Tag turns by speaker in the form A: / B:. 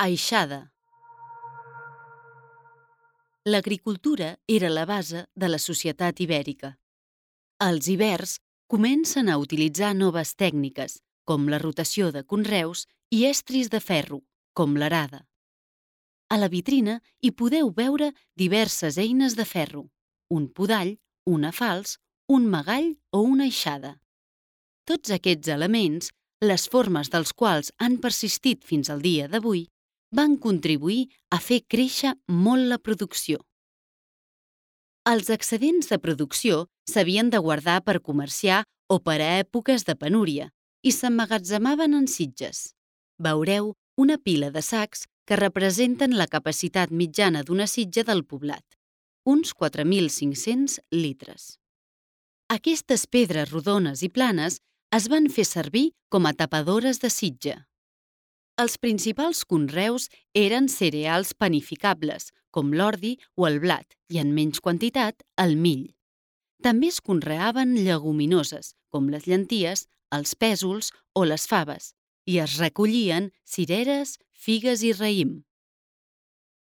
A: Aixada. L'agricultura era la base de la societat ibèrica. Els ibers comencen a utilitzar noves tècniques, com la rotació de conreus i estris de ferro, com l'arada. A la vitrina hi podeu veure diverses eines de ferro, un podall, una falç, un magall o una aixada. Tots aquests elements, les formes dels quals han persistit fins al dia d'avui, van contribuir a fer créixer molt la producció. Els excedents de producció s'havien de guardar per comerciar o per a èpoques de penúria i s'emmagatzemaven en sitges. Veureu una pila de sacs que representen la capacitat mitjana d'una sitja del poblat, uns 4.500 litres. Aquestes pedres rodones i planes es van fer servir com a tapadores de sitja. Els principals conreus eren cereals panificables, com l'ordi o el blat, i en menys quantitat, el mill. També es conreaven lleguminoses, com les llenties, els pèsols o les faves, i es recollien cireres, figues i raïm.